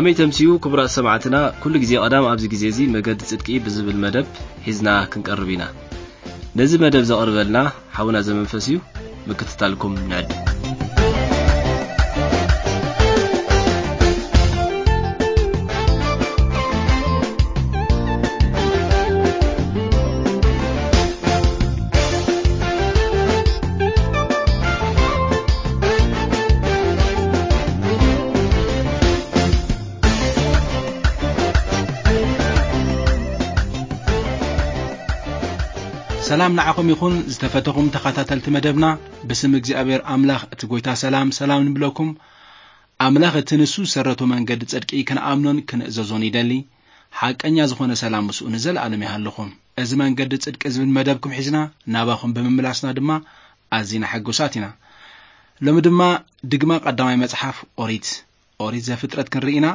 ከመይ ተምስዩ ክቡራት ሰማዕትና፣ ኩሉ ግዜ ቀዳም ኣብዚ ግዜ እዚ መገዲ ጽድቂ ብዝብል መደብ ሒዝና ክንቀርብ ኢና። ነዚ መደብ ዘቕርበልና ሓውና ዘመንፈስ እዩ። ምክትታልኩም ንዕድ። ሰላም ንዓኹም ይኹን ዝተፈተኹም ተኸታተልቲ መደብና። ብስም እግዚኣብሔር ኣምላኽ እቲ ጎይታ ሰላም ሰላም ንብለኩም። ኣምላኽ እቲ ንሱ ዝሰረቶ መንገዲ ጽድቂ ክንኣምኖን ክንእዘዞን ይደሊ። ሓቀኛ ዝኾነ ሰላም ምስኡ ንዘለኣለም ይሃልኹም። እዚ መንገዲ ጽድቂ ዝብል መደብኩም ሒዝና ናባኹም ብምምላስና ድማ ኣዚና ሕጉሳት ኢና። ሎሚ ድማ ድግማ ቀዳማይ መጽሓፍ ኦሪት፣ ኦሪት ዘፍጥረት ክንርኢ ኢና።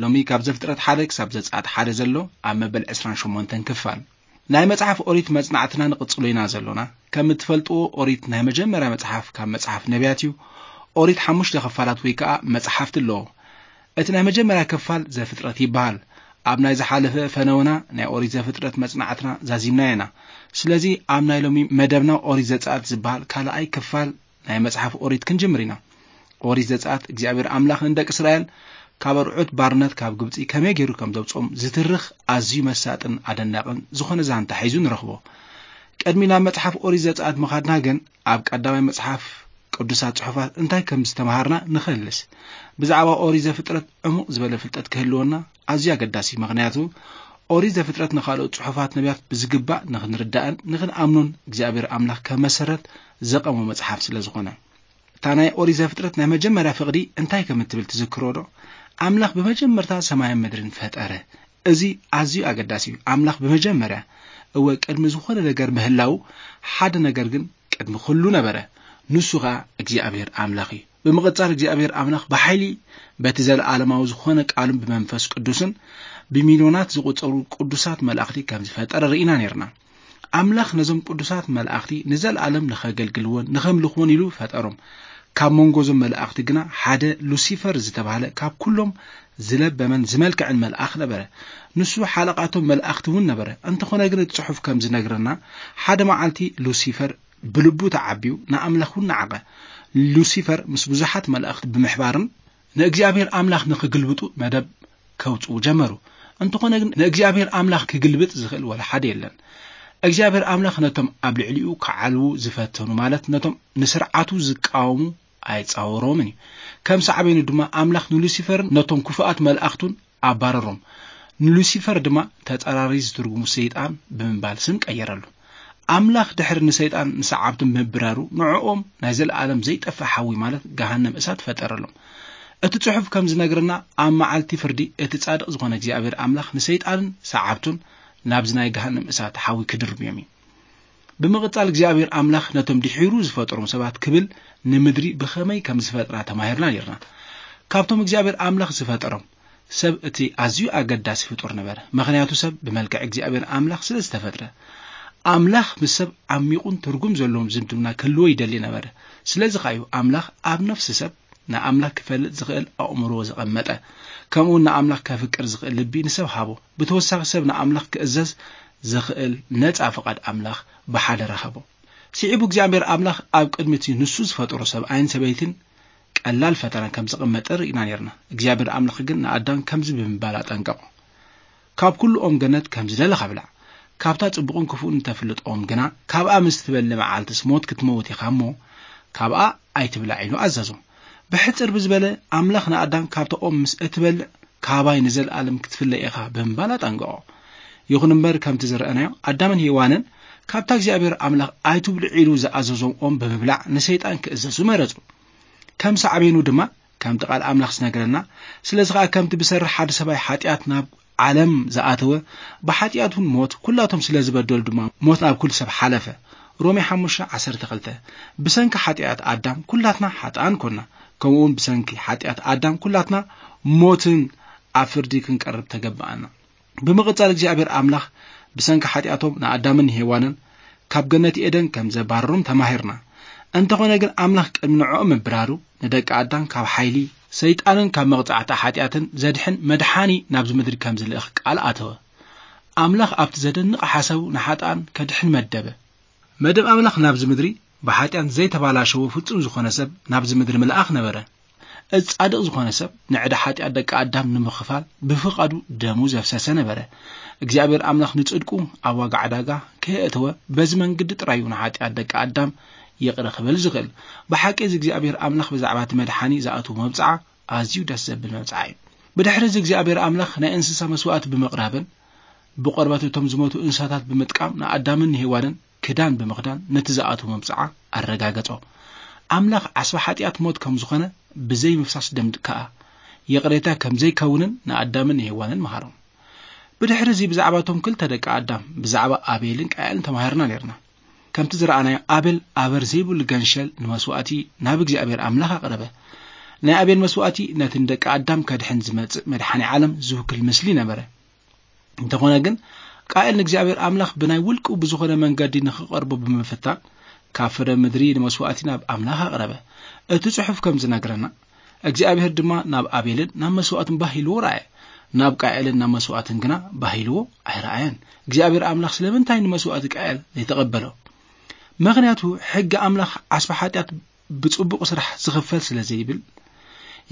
ሎሚ ካብ ዘፍጥረት ሓደ ክሳብ ዘጸኣት ሓደ ዘሎ ኣብ መበል ዕስራን ሸሞንተን ክፋል ናይ መጽሓፍ ኦሪት መጽናዕትና ንቕጽሎ ኢና ዘሎና። ከም እትፈልጥዎ ኦሪት ናይ መጀመርያ መጽሓፍ ካብ መጽሓፍ ነቢያት እዩ። ኦሪት ሓሙሽተ ክፋላት ወይ ከኣ መጽሓፍቲ ኣለዎ። እቲ ናይ መጀመርያ ክፋል ዘፍጥረት ይበሃል። ኣብ ናይ ዝሓለፈ ፈነወና ናይ ኦሪት ዘፍጥረት መጽናዕትና ዛዚምና ኢና። ስለዚ ኣብ ናይ ሎሚ መደብና ኦሪት ዘጸኣት ዝበሃል ካልኣይ ክፋል ናይ መጽሓፍ ኦሪት ክንጅምር ኢና። ኦሪት ዘጸኣት እግዚኣብሔር ኣምላኽ ንደቂ እስራኤል ካብ ኣርዑት ባርነት ካብ ግብጺ ከመይ ገይሩ ከም ዘውጽኦም ዝትርኽ ኣዝዩ መሳጥን ኣደናቕን ዝኾነ ዛንታ ሒዙ ንረኽቦ። ቅድሚ ናብ መጽሓፍ ኦሪት ዘጸኣት ምኻድና ግን ኣብ ቀዳማይ መጽሓፍ ቅዱሳት ጽሑፋት እንታይ ከም ዝተምሃርና ንኸልስ። ብዛዕባ ኦሪት ዘፍጥረት ዕሙቕ ዝበለ ፍልጠት ክህልወና ኣዝዩ ኣገዳሲ እዩ። ምኽንያቱ ኦሪት ዘፍጥረት ንኻልኦት ጽሑፋት ነቢያት ብዝግባእ ንኽንርዳእን ንኽንኣምኖን እግዚኣብሔር ኣምላኽ ከም መሰረት ዘቐሞ መጽሓፍ ስለ ዝኾነ። እታ ናይ ኦሪት ዘፍጥረት ናይ መጀመርያ ፍቕዲ እንታይ ከም እትብል ትዝክሮ ዶ? ኣምላኽ ብመጀመርታ ሰማይን ምድርን ፈጠረ። እዚ ኣዝዩ ኣገዳሲ እዩ። ኣምላኽ ብመጀመርያ፣ እወ፣ ቅድሚ ዝኾነ ነገር ምህላዉ ሓደ ነገር ግን ቅድሚ ኩሉ ነበረ። ንሱ ኸኣ እግዚኣብሔር ኣምላኽ እዩ። ብምቕጻል እግዚኣብሔር ኣምላኽ ብሓይሊ በቲ ዘለኣለማዊ ዝኾነ ቃሉን ብመንፈስ ቅዱስን ብሚልዮናት ዝቑጸሩ ቅዱሳት መላእኽቲ ከም ዝፈጠረ ርኢና ነርና። ኣምላኽ ነዞም ቅዱሳት መላእኽቲ ንዘለኣለም ንኸገልግልዎን ንኸምልኽዎን ኢሉ ፈጠሮም። ካብ መንጎ እዞም መላእኽቲ ግና ሓደ ሉሲፈር ዝተባህለ ካብ ኩሎም ዝለበመን ዝመልክዕን መልኣኽ ነበረ። ንሱ ሓለቓቶም መላእኽቲ እውን ነበረ። እንተኾነ ግን እቲ ጽሑፍ ከም ዝነግረና ሓደ መዓልቲ ሉሲፈር ብልቡ ተዓብዩ ንኣምላኽ እውን ነዓቐ። ሉሲፈር ምስ ብዙሓት መላእኽቲ ብምሕባርን ንእግዚኣብሔር ኣምላኽ ንኽግልብጡ መደብ ከውጽኡ ጀመሩ። እንተኾነ ግን ንእግዚኣብሔር ኣምላኽ ክግልብጥ ዝኽእል ወላ ሓደ የለን። እግዚኣብሔር ኣምላኽ ነቶም ኣብ ልዕሊኡ ክዓልዉ ዝፈተኑ፣ ማለት ነቶም ንስርዓቱ ዝቃወሙ ኣይጻወሮምን እዩ። ከም ሳዕቤኑ ድማ ኣምላኽ ንሉሲፈርን ነቶም ክፉኣት መላእኽቱን ኣባረሮም። ንሉሲፈር ድማ ተጻራሪ ዝትርጉሙ ሰይጣን ብምባል ስም ቀየረሉ። ኣምላኽ ድሕሪ ንሰይጣን ንሰዓብቱ ምብራሩ ንዕኦም ናይ ዘለኣለም ዘይጠፍእ ሓዊ ማለት ገሃነም እሳት ፈጠረሎም። እቲ ጽሑፍ ከም ዝነግረና ኣብ መዓልቲ ፍርዲ እቲ ጻድቕ ዝኾነ እግዚኣብሔር ኣምላኽ ንሰይጣንን ሰዓብቱን ናብዚ ናይ ገሃነም እሳት ሓዊ ክድርብዮም እዩ። ብምቕጻል እግዚኣብሔር ኣምላኽ ነቶም ድሒሩ ዝፈጠሮም ሰባት ክብል ንምድሪ ብኸመይ ከም ዝፈጥራ ተማሂርና ነርና። ካብቶም እግዚኣብሔር ኣምላኽ ዝፈጠሮም ሰብ እቲ ኣዝዩ ኣገዳሲ ፍጡር ነበረ። ምኽንያቱ ሰብ ብመልክዕ እግዚኣብሔር ኣምላኽ ስለ ዝተፈጥረ። ኣምላኽ ምስ ሰብ ዓሚቑን ትርጉም ዘለዎም ዝምድና ክህልዎ ይደሊ ነበረ። ስለዚ ኸኣ እዩ ኣምላኽ ኣብ ነፍሲ ሰብ ንኣምላኽ ክፈልጥ ዝኽእል ኣእምሮ ዘቐመጠ። ከምኡውን ንኣምላኽ ከፍቅር ዝኽእል ልቢ ንሰብ ሃቦ። ብተወሳኺ ሰብ ንኣምላኽ ክእዘዝ ዝኽእል ነጻ ፍቓድ ኣምላኽ ብሓደ ረኸቦ። ስዒቡ እግዚኣብሔር ኣምላኽ ኣብ ቅድሚ እቲ ንሱ ዝፈጠሮ ሰብኣይን ሰበይትን ቀላል ፈተና ከም ዘቐመጠ ርኢና ነርና። እግዚኣብሔር ኣምላኽ ግን ንኣዳም ከምዚ ብምባል ኣጠንቀቖ። ካብ ኩሉ ኦም ገነት ከም ዝደለኻ ብላዕ። ካብታ ጽቡቕን ክፉእን እተፍልጥ ኦም ግና ካብኣ ምስ ትበልዕ መዓልትስ ሞት ክትመውት ኢኻ እሞ ካብኣ ኣይትብላዕ ኢሉ ኣዘዞ። ብሕጽር ብዝበለ ኣምላኽ ንኣዳም ካብታ ኦም ምስ እትበልዕ ካባይ ንዘለኣለም ክትፍለ ኢኻ ብምባል ኣጠንቀቖ። ይኹን እምበር ከምቲ ዝረኣናዮ ኣዳምን ሄዋንን ካብታ እግዚኣብሔር ኣምላኽ ኣይትብልዑ ኢሉ ዝኣዘዞም ኦም ብምብላዕ ንሰይጣን ክእዘዙ መረጹ። ከም ሳዕቤኑ ድማ ከምቲ ቃል ኣምላኽ ዝነግረና፣ ስለዚ ኸኣ ከምቲ ብሰሪ ሓደ ሰብኣይ ሓጢኣት ናብ ዓለም ዝኣተወ፣ ብሓጢኣት እውን ሞት፣ ኩላቶም ስለ ዝበደሉ ድማ ሞት ናብ ኩሉ ሰብ ሓለፈ። ሮሜ ሓሙሽተ ዓሰርተ ክልተ። ብሰንኪ ሓጢኣት ኣዳም ኩላትና ሓጥኣን ኮና፣ ከምኡ እውን ብሰንኪ ሓጢኣት ኣዳም ኩላትና ሞትን ኣብ ፍርዲ ክንቀርብ ተገባኣና። ብምቕጻል እግዚኣብሔር ኣምላኽ ብሰንኪ ሓጢኣቶም ንኣዳምን ንሄዋንን ካብ ገነት ኤደን ከም ዘባረሮም ተማሂርና። እንተኾነ ግን ኣምላኽ ቅድሚ ንዕኦም ምብራሩ ንደቂ ኣዳም ካብ ሓይሊ ሰይጣንን ካብ መቕጻዕቲ ሓጢኣትን ዘድሕን መድሓኒ ናብዚ ምድሪ ከም ዝልእኽ ቃል ኣተወ። ኣምላኽ ኣብቲ ዘደንቕ ሓሳቡ ንሓጥኣን ከድሕን መደበ። መደብ ኣምላኽ ናብዚ ምድሪ ብሓጢኣት ዘይተባላሸወ ፍጹም ዝኾነ ሰብ ናብዚ ምድሪ ምልኣኽ ነበረ። እዚ ጻድቕ ዝኾነ ሰብ ንዕዳ ሓጢኣት ደቂ ኣዳም ንምኽፋል ብፍቓዱ ደሙ ዘፍሰሰ ነበረ። እግዚኣብሔር ኣምላኽ ንጽድቁ ኣብ ዋጋ ዕዳጋ ከየእተወ በዚ መንገዲ ጥራዩ ንሓጢኣት ደቂ ኣዳም ይቕረ ክብል ዝኽእል። ብሓቂ እዚ እግዚኣብሔር ኣምላኽ ብዛዕባ እቲ መድሓኒ ዝኣትዎ መብጽዓ ኣዝዩ ደስ ዘብል መብጽዓ እዩ። ብድሕሪ እዚ እግዚኣብሔር ኣምላኽ ናይ እንስሳ መስዋእቲ ብምቕራብን ብቆርበት እቶም ዝሞቱ እንስሳታት ብምጥቃም ንኣዳምን ንሄዋንን ክዳን ብምኽዳን ነቲ ዝኣትዎ መብጽዓ ኣረጋገጾ። ኣምላኽ ዓስቢ ሓጢኣት ሞት ከም ዝኾነ ብዘይ ምፍሳስ ደም ከኣ ይቕሬታ ከም ዘይከውንን ንኣዳምን ንሄዋንን መሃሮም። ብድሕሪ እዚ ብዛዕባ እቶም ክልተ ደቂ ኣዳም ብዛዕባ ኣቤልን ቃኤልን ተማሂርና ነርና። ከምቲ ዝረኣናዮ ኣቤል ኣበር ዘይብሉ ገንሸል ንመስዋእቲ ናብ እግዚኣብሔር ኣምላኽ ኣቕረበ። ናይ ኣቤል መስዋእቲ ነቲ ንደቂ ኣዳም ከድሕን ዝመጽእ መድሓኒ ዓለም ዝውክል ምስሊ ነበረ። እንተኾነ ግን ቃኤል ንእግዚኣብሔር ኣምላኽ ብናይ ውልቁ ብዝኾነ መንገዲ ንኽቐርቦ ብምፍታን ካብ ፍረ ምድሪ ንመስዋእቲ ናብ ኣምላኽ ኣቕረበ። እቲ ጽሑፍ ከም ዝነግረና እግዚኣብሔር ድማ ናብ ኣቤልን ናብ መስዋእትን ባህ ኢልዎ ረኣየ፣ ናብ ቃኤልን ናብ መስዋእትን ግና ባህ ኢልዎ ኣይረኣየን። እግዚኣብሔር ኣምላኽ ስለምንታይ ንመስዋእቲ ቃኤል ዘይተቐበሎ? ምኽንያቱ ሕጊ ኣምላኽ ዓስቢ ሓጢኣት ብጽቡቕ ስራሕ ዝኽፈል ስለ ዘይብል፣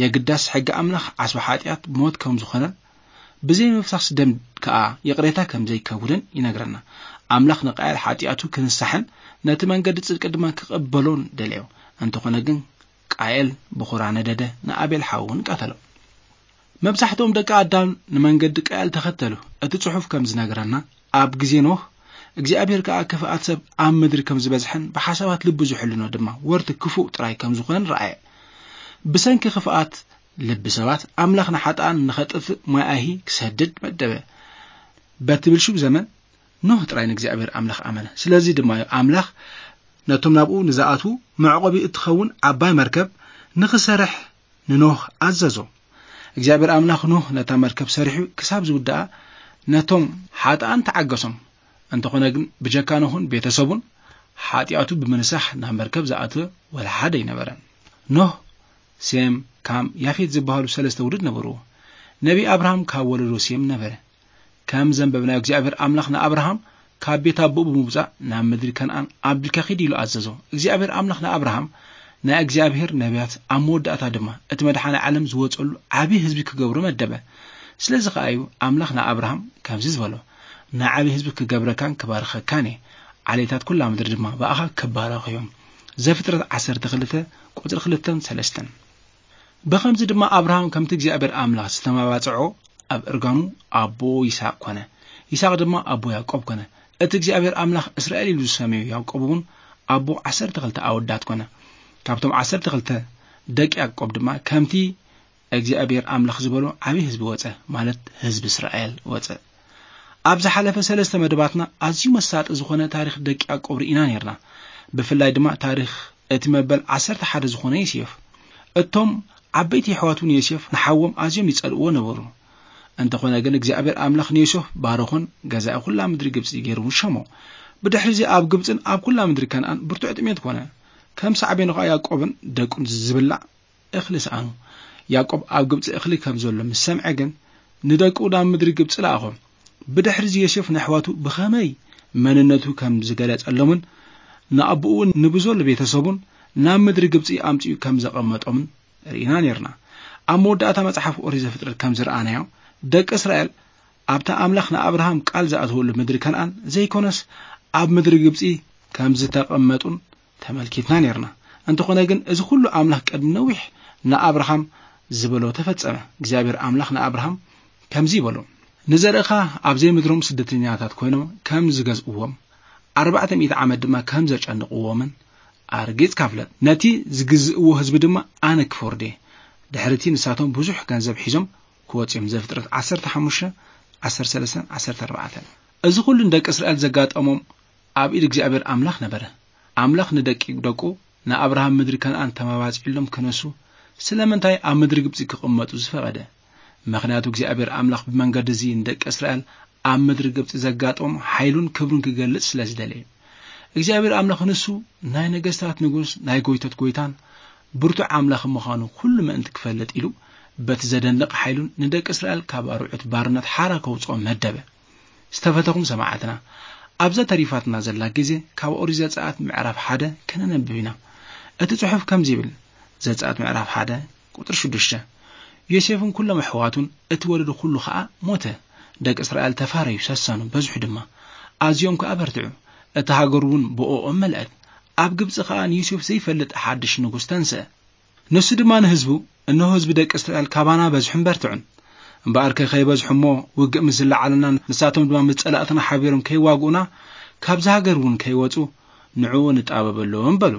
የግዳስ ሕጊ ኣምላኽ ዓስቢ ሓጢኣት ሞት ከም ዝኾነን ብዘይ ምፍሳስ ደም ከኣ ይቕሬታ ከም ዘይከውንን ይነግረና። ኣምላኽ ንቃየል ሓጢኣቱ ክንሳሕን ነቲ መንገዲ ጽድቂ ድማ ክቕበሎን ደለዮ። እንተኾነ ግን ቃየል ብኹራ ነደደ፣ ንኣቤል ሓው እውን ቀተሎ። መብዛሕትኦም ደቂ ኣዳም ንመንገዲ ቃየል ተኸተሉ። እቲ ጽሑፍ ከም ዝነግረና ኣብ ግዜ ኖህ እግዚኣብሔር ከኣ ክፍኣት ሰብ ኣብ ምድሪ ከም ዝበዝሐን ብሓሳባት ልቡ ዝሕልኖ ድማ ወርቲ ክፉእ ጥራይ ከም ዝኾነን ረኣየ። ብሰንኪ ክፍኣት ልቢ ሰባት ኣምላኽ ንሓጥኣን ንኸጥፍእ ማይ ኣይሂ ክሰድድ መደበ። በቲ ብልሹው ዘመን ኖህ ጥራይ ንእግዚኣብሔር ኣምላኽ ኣመነ። ስለዚ ድማ እዩ ኣምላኽ ነቶም ናብኡ ንዝኣትዉ መዕቆቢ እትኸውን ዓባይ መርከብ ንኽሰርሕ ንኖህ ኣዘዞ። እግዚኣብሔር ኣምላኽ ኖህ ነታ መርከብ ሰሪሑ ክሳብ ዝውድኣ ነቶም ሓጥኣን ተዓገሶም። እንተኾነ ግን ብጀካ ኖህን ቤተሰቡን ሓጢኣቱ ብምንሳሕ ናብ መርከብ ዝኣተወ ወላ ሓደ ኣይነበረን። ኖህ፣ ሴም፣ ካም፣ ያፌት ዝበሃሉ ሰለስተ ውሉድ ነበርዎ። ነቢ ኣብርሃም ካብ ወለዶ ሴም ነበረ። ከም ዘንበብናዮ እግዚኣብሔር ኣምላኽ ንኣብርሃም ካብ ቤት ኣቦኡ ብምውጻእ ናብ ምድሪ ከነኣን ኣቢልካ ኺድ ኢሉ ኣዘዞ። እግዚኣብሔር ኣምላኽ ንኣብርሃም ናይ እግዚኣብሔር ነቢያት ኣብ መወዳእታ ድማ እቲ መድሓኒ ዓለም ዝወጸሉ ዓቢ ህዝቢ ክገብሮ መደበ። ስለዚ ኸኣ እዩ ኣምላኽ ንኣብርሃም ከምዚ ዝበሎ፣ ንዓቢ ህዝቢ ክገብረካን ክባርኸካን እየ፣ ዓሌታት ኩላ ምድሪ ድማ ብኣኻ ክባረኹ እዮም። ዘፍጥረት ዓሰርተ ክልተ ቁጽሪ ክልተን ሰለስተን። ብኸምዚ ድማ ኣብርሃም ከምቲ እግዚኣብሔር ኣምላኽ ዝተመባጽዖ ኣብ እርጋኑ ኣቦ ይስሐቅ ኮነ፣ ይስሐቅ ድማ ኣቦ ያዕቆብ ኮነ። እቲ እግዚኣብሔር ኣምላኽ እስራኤል ኢሉ ዝሰመዮ ያዕቆብ እውን ኣቦ ዓሰርተ ክልተ ኣወዳት ኮነ። ካብቶም ዓሰርተ ክልተ ደቂ ያዕቆብ ድማ ከምቲ እግዚኣብሔር ኣምላኽ ዝበሎ ዓቢ ህዝቢ ወጸ፣ ማለት ህዝቢ እስራኤል ወጸ። ኣብ ዝሓለፈ ሰለስተ መደባትና ኣዝዩ መሳጢ ዝኾነ ታሪኽ ደቂ ያዕቆብ ርኢና ነርና። ብፍላይ ድማ ታሪኽ እቲ መበል ዓሰርተ ሓደ ዝኾነ ዮሴፍ። እቶም ዓበይቲ የሕዋቱ ንዮሴፍ ንሓዎም ኣዝዮም ይጸልእዎ ነበሩ። እንተኾነ ግን እግዚኣብሔር ኣምላኽ ንዮሴፍ ባረኾን ገዛኢ ኩላ ምድሪ ግብጺ ገይሩ ሸሞ። ብድሕሪ እዚ ኣብ ግብጽን ኣብ ኩላ ምድሪ ከነኣን ብርቱዕ ጥሜት ኮነ። ከም ሳዕቤኑ ኸኣ ያዕቆብን ደቁን ዝብላዕ እኽሊ ሰኣኑ። ያዕቆብ ኣብ ግብጺ እኽሊ ከም ዘሎ ምስ ሰምዐ ግን ንደቁ ናብ ምድሪ ግብጺ ለኣኾም። ብድሕሪ እዚ ዮሴፍ ንኣሕዋቱ ብኸመይ መንነቱ ከም ዝገለጸሎምን ንኣቦኡ እውን ንብዘሎ ቤተሰቡን ናብ ምድሪ ግብጺ ኣምጺኡ ከም ዘቐመጦምን ርኢና ነርና። ኣብ መወዳእታ መጽሓፍ ኦሪት ዘፍጥረት ከም ዝረኣናዮ ደቂ እስራኤል ኣብታ ኣምላኽ ንኣብርሃም ቃል ዝኣተወሉ ምድሪ ከነኣን ዘይኮነስ ኣብ ምድሪ ግብጺ ከም ዝተቐመጡን ተመልኪትና ነርና። እንተኾነ ግን እዚ ኩሉ ኣምላኽ ቅድሚ ነዊሕ ንኣብርሃም ዝበሎ ተፈጸመ። እግዚኣብሔር ኣምላኽ ንኣብርሃም ከምዚ ይበሎ፣ ንዘርእኻ ኣብ ዘይምድሮም ስደተኛታት ኮይኖም ከም ዝገዝእዎም ኣርባዕተ ሚእቲ ዓመት ድማ ከም ዘጨንቕዎምን ኣርጊጽካ ፍለጥ። ነቲ ዝግዝእዎ ህዝቢ ድማ ኣነ ክፈርዶ እየ። ድሕሪቲ ንሳቶም ብዙሕ ገንዘብ ሒዞም ክወጽኡ እዮም። ዘፍጥረት ዓሰርተ ሓሙሽተ፣ ዓሰርተ ሰለስተ፣ ዓሰርተ ኣርባዕተ። እዚ ኩሉ ንደቂ እስራኤል ዘጋጠሞም ኣብ ኢድ እግዚኣብሔር ኣምላኽ ነበረ። ኣምላኽ ንደቂ ደቁ ንኣብርሃም ምድሪ ከነኣን ተመባጺዕሎም ክነሱ ስለምንታይ ኣብ ምድሪ ግብጺ ክቕመጡ ዝፈቐደ? ምኽንያቱ እግዚኣብሔር ኣምላኽ ብመንገዲ እዚ ንደቂ እስራኤል ኣብ ምድሪ ግብጺ ዘጋጠሞም ሓይሉን ክብሩን ክገልጽ ስለ ዝደለየ። እግዚኣብሔር ኣምላኽ ንሱ ናይ ነገስታት ንጉስ፣ ናይ ጎይቶት ጎይታን ብርቱዕ ኣምላኽ ምዃኑ ኩሉ ምእንቲ ክፈልጥ ኢሉ፣ በቲ ዘደንቕ ሓይሉን ንደቂ እስራኤል ካብ ኣርዑት ባርነት ሓራ ከውጽኦም መደበ። ዝተፈተኹም ሰማዕትና፣ ኣብዛ ተሪፋትና ዘላ ግዜ ካብ ኦሪት ዘጸኣት ምዕራፍ ሓደ ከነነብብ ኢና። እቲ ጽሑፍ ከምዚ ይብል፣ ዘጸኣት ምዕራፍ ሓደ ቁጽሪ ሽዱሽተ፣ ዮሴፍን ኩሎም ኣሕዋቱን እቲ ወለዱ ኩሉ ኸኣ ሞተ። ደቂ እስራኤል ተፋረዩ፣ ሰሰኑ፣ በዝሑ ድማ። ኣዝዮም ከኣ በርትዑ። እታ ሃገር እውን ብኦኦም መልአት። ኣብ ግብጺ ኸኣ ንዮሴፍ ዘይፈልጥ ሓድሽ ንጉስ ተንስአ። ንሱ ድማ ንህዝቡ፣ "እነሆ ህዝቢ ደቂ እስራኤል ካባና በዝሑን በርትዑን። እምበኣርከ ከይበዝሑ እሞ ውግእ ምስ ዝለዓለና፣ ንሳቶም ድማ ምስ ጸላእትና ሓቢሮም ከይዋግኡና፣ ካብዛ ሃገር እውን ከይወጹ ንዕኡ ንጣበበሎም" በሉ።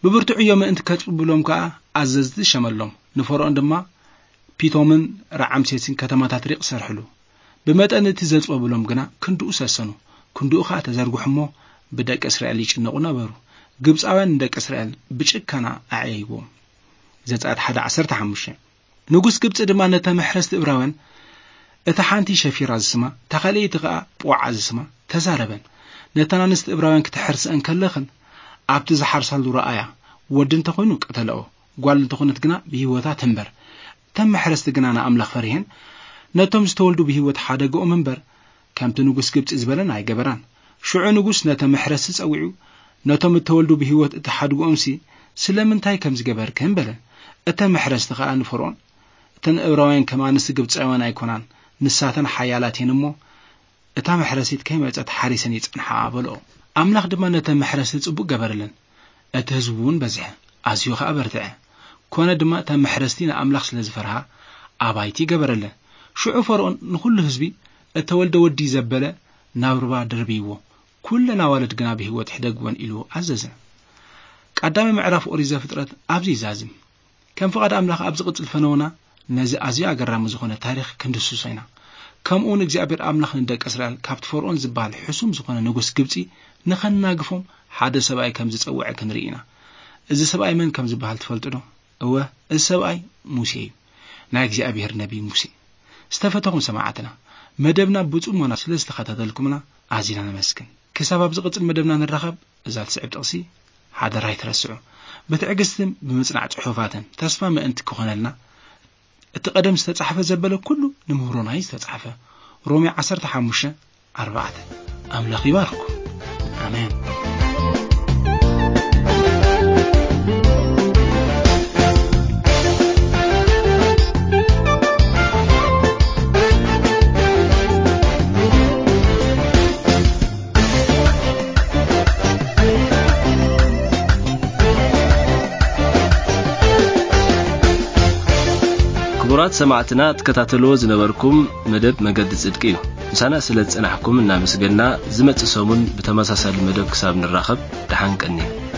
ብብርቱዕ እዮም ምእንቲ ከጽብብሎም ከኣ ኣዘዝቲ ሸመሎም። ንፈርኦን ድማ ፒቶምን ረዓምሴስን ከተማታት ሪቕ ሰርሕሉ። ብመጠን እቲ ዘጽበብሎም ግና ክንድኡ ሰሰኑ። ክንድኡ ኸኣ ተዘርግሑ እሞ ብደቂ እስራኤል ይጭነቑ ነበሩ። ግብጻውያን ንደቂ እስራኤል ብጭከና ኣዕየይዎም። ዘጸኣት ሓደ ዓሰርተ ሓሙሽተ። ንጉስ ግብጺ ድማ ነታ መሕረስቲ እብራውያን፣ እታ ሓንቲ ሸፊራ ዝስማ፣ እታ ካልኣይቲ ኸኣ ጶዓ ዝስማ፣ ተዛረበን። ነተን ኣንስቲ እብራውያን ክተሕርስአን ከለኽን፣ ኣብቲ ዝሓርሳሉ ረኣያ፣ ወዲ እንተኾይኑ ቅተለኦ፣ ጓል እንተኾነት ግና ብህይወታ ትንበር። እተን መሕረስቲ ግና ንኣምላኽ ፈሪሄን፣ ነቶም ዝተወልዱ ብህይወት ሓደግኦም እምበር፣ ከምቲ ንጉስ ግብጺ ዝበለን ኣይገበራን። ሽዑ ንጉስ ነተ መሕረስቲ ጸዊዑ፣ ነቶም እተወልዱ ብህይወት እተሓድግኦምሲ ስለምንታይ ከም ዝገበርክን በለ። እተን መሕረስቲ ኸኣ ንፈርኦን፣ እተን እብራውያን ከም ኣንስቲ ግብጻውያን ኣይኮናን፣ ንሳተን ሓያላት እየን እሞ፣ እታ መሕረሲት ከይመጸት ሓሪሰን ይጸንሓ በልኦ። ኣምላኽ ድማ ነተ መሕረስቲ ጽቡቕ ገበረለን። እቲ ህዝቢ እውን በዝሐ፣ ኣዝዩ ኸኣ በርትዐ። ኮነ ድማ እታ መሕረስቲ ንኣምላኽ ስለ ዝፈርሃ ኣባይቲ ገበረለን። ሽዑ ፈርኦን ንኹሉ ህዝቢ፣ "እተወልደ ወዲ ዘበለ ናብ ሩባ ደርብይዎ፣ ኩለን ኣዋልድ ግና ብህይወት ሕደግወን" ኢሉ ኣዘዘ። ቀዳማይ ምዕራፍ ኦሪት ዘፍጥረት ኣብዚ ይዛዝም። ከም ፍቓድ ኣምላኽ ኣብ ዝቕጽል ፈነውና ነዚ ኣዝዩ ኣገራሚ ዝኾነ ታሪኽ ክንድስሶ ኢና። ከምኡ እውን እግዚኣብሔር ኣምላኽ ንደቂ እስራኤል ካብቲ ፈርኦን ዝበሃል ሕሱም ዝኾነ ንጉስ ግብጺ ንኸናግፎም ሓደ ሰብኣይ ከም ዝጸውዐ ክንርኢ ኢና። እዚ ሰብኣይ መን ከም ዝበሃል ትፈልጡ ዶ? እወ፣ እዚ ሰብኣይ ሙሴ እዩ። ናይ እግዚኣብሔር ነቢይ ሙሴ። ዝተፈተኹም ሰማዕትና፣ መደብና ብጽሞና ስለ ዝተኸታተልኩምና ኣዚና ነመስግን። ክሳብ ኣብ ዝቕጽል መደብና ንራኸብ፣ እዛ ትስዕብ ጥቕሲ ሓደራ ኣይትረስዑ። ብትዕግስትን ብምጽናዕ ጽሑፋትን ተስፋ ምእንቲ ክኾነልና፣ እቲ ቀደም ዝተጻሕፈ ዘበለ ኩሉ ንምህሮና እዩ ዝተጻሕፈ። ሮሜ ዓሰርተ ሓሙሽተ ኣርባዕተ። ኣምላኽ ይባርኩም። ኣሜን። ክቡራት ሰማዕትና፣ ትከታተልዎ ዝነበርኩም መደብ መገዲ ጽድቂ እዩ። ምሳና ስለ ዝጸናሕኩም እናመስገና፣ ዝመጽእ ሰሙን ብተመሳሳሊ መደብ ክሳብ ንራኸብ፣ ደሓን ቀንዩ።